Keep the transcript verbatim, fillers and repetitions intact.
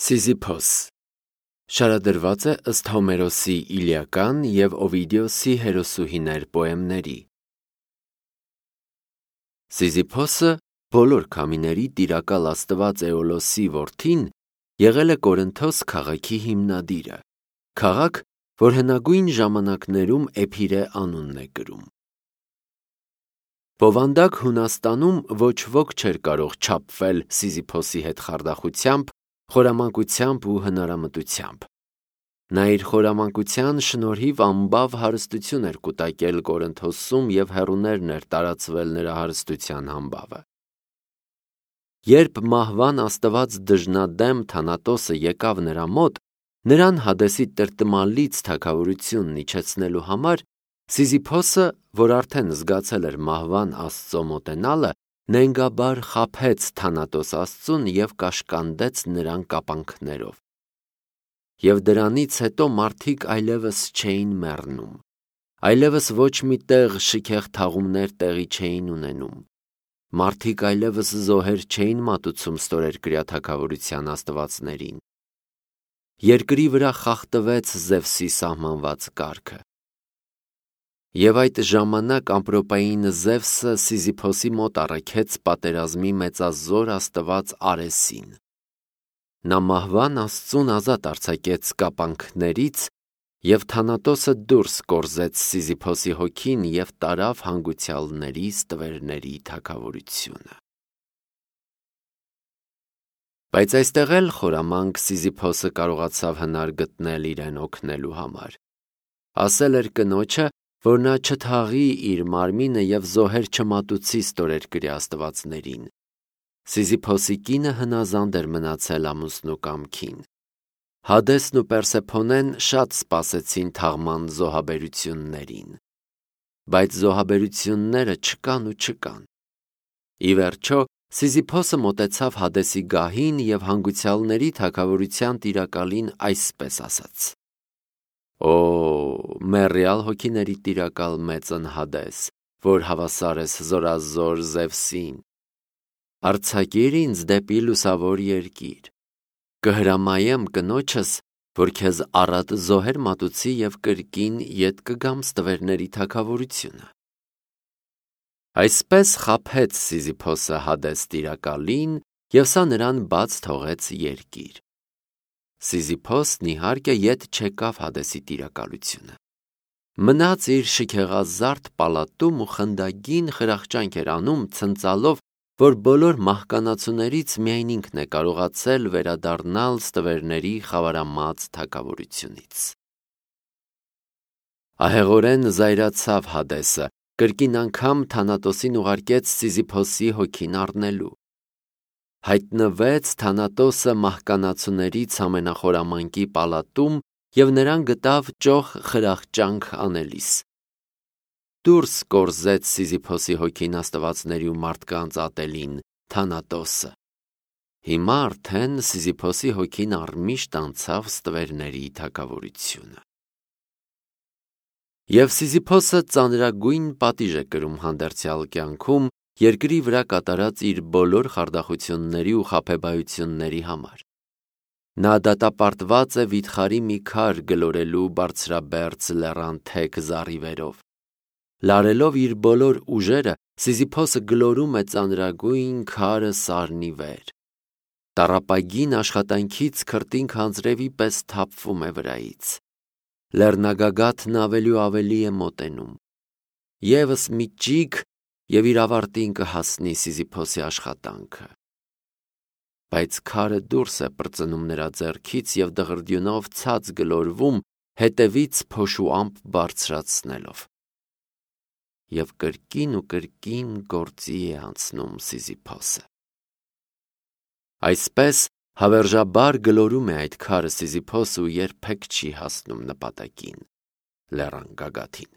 Սիզիփոս շարադրված է ըստ Հոմերոսի Իլիական և Օվիդիոսի հերոսուհիներ պոեմների։ Սիզիփոսը բոլոր քամիների տիրակալ աստված Էոլոսի որդին եղել է Կորինթոս քաղաքի հիմնադիրը, քաղաք, որ հնագույն ժամանակներում Էփիրե անունն է կրում։ Բովանդակ Հունաստանում ոչ ոք չէր կարող չափվել Սիզիփոսի հետ խարդախությամբ, խորամանկությամբ ու հնարամտությամբ։ Նա իր խորամանկության շնորհիվ ամբավ հարստություն էր կուտակել Կորինթոսում և հեռուներն էր տարածվել նրա հարստության համբավը։ Երբ մահվան աստված դժնադեմ Թանատոսը եկավ նրա մոտ, նրան Հադեսի տրտմալից թագավորությունն իջեցնելու համար, Սիզիփոսը, որ արդեն զգացել էր մահվան աստծո մոտենալը, նենգաբար խաբեց Թանատոս աստծուն և կաշկանդեց նրան կապանքներով։ Եվ դրանից հետո մարդիկ այլևս չէին մեռնում, այլևս ոչ մի տեղ շքեղ թաղումներ տեղի չէին ունենում, մարդիկ այլևս զոհեր չէին մատուցում ստորերկրյա թագավորության աստվածներին։ Երկրի վրա խախտվեց Զևսի սահմանված կարգը։ Եվ այդ ժամանակ ամպրոպային Զևսը Սիզիփոսի մոտ առաքեց պատերազմի մեծազոր աստված Արեսին։ Նա մահվան աստծուն ազատ արձակեց կապանքներից, և Թանատոսը դուրս կորզեց Սիզիփոսի հոգին և տարավ հանգուցյալների ստվերների թագավորությունը։ Բայց այստեղ էլ խորամանկ Սիզիփոսը կարողացավ հնար գտնել իրեն օգնելու համար։ Ասել էր կնոջը, որ նա չթաղի իր մարմինը և զոհեր չմատուցի ստորերկրյա աստվածներին։ Սիզիփոսի կինը հնազանդ էր մնացել ամուսնու կամքին։ Հադեսն ու Պերսեփոնեն շատ սպասեցին թաղման զոհաբերություններին։ Բայց զոհաբերությունները չկան ու չկան։ Ի վերջո, Սիզիփոսը մոտեցավ Հադեսի գահին և հանգուցյալների թագավորության տիրակալին այսպես ասաց. «Օ, մեռյալ հոգիների տիրակալ մեծն Հադես, որ հավասար ես զորազոր Զևսին, արձակիր ինձ դեպի լուսավոր երկիր, կհրամայեմ կնոջս, որ քեզ առատ զոհեր մատուցի և կրկին ետ կգամ ստվերների թագավորությունը»։ Այսպես խաբեց Սիզիփոսը Հադես տիրակալին, և սա նրան բաց թողեց երկիր։ Սիզիփոսն իհարկե ետ չեկավ Հադեսի տիրակալությունը։ Մնաց իր շքեղազարդ պալատում ու խնդագին խրախճանք էր անում, ցնծալով, որ բոլոր մահկանացուներից միայն ինքն է կարողացել վերադառնալ ստվերների խավարամած թագավորությունից։ Ահեղորեն զայրացավ Հադեսը, կրկին անգամ Թանատոսին ուղարկեց Սիզիփոսի հոգին առնելու։ Հայտնվեց Թանատոսը մահկանացուներից ամենախորամանկի պալատում և նրան գտավ ճոխ խրախճանք անելիս։ Դուրս կորզեց Սիզիփոսի հոգին աստվածների ու մարդկանց ատելին Թանատոսը։ Հիմա արդեն Սիզիփոսի հոգին առմիշտ անցավ ստվերների թագավորությունը։ Եվ Սիզիփոսը ծանրագույն պատիժ է կրում հանդերձյալ կյանքում երկրի վրա կատարած իր բոլոր խարդախությունների ու խաբեբայությունների համար։ Նա դատապարտված է վիթխարի մի քար գլորելու բարձրաբերձ լեռան թեք զառիվերով։ Լարելով իր բոլոր ուժերը, Սիզիփոսը գլորում է ծանրագույն քարը սարնի վեր։ Տառապագին աշխատանքից քրտինք անձրևի պես թափվում է վրայից։ Լեռնագագաթն ավելի ու ավելի է մոտենում։ Եվս մի ճիգ, և իր ավարտին կհասնի Սիզիփոսի աշխատանքը։ Բայց քարը դուրս է պրծնում նրա ձեռքից և դղրդյունով ցած գլորվում, հետևից փոշուամպ բարձրացնելով։ Եվ կրկին ու կրկին գործի է անցնում Սիզիփոսը։ Այսպես հավերժաբար գլորում է այդ քարը Սիզիփոսը ու երբեք չի հասնում նպատակին՝ լեռան գագաթին։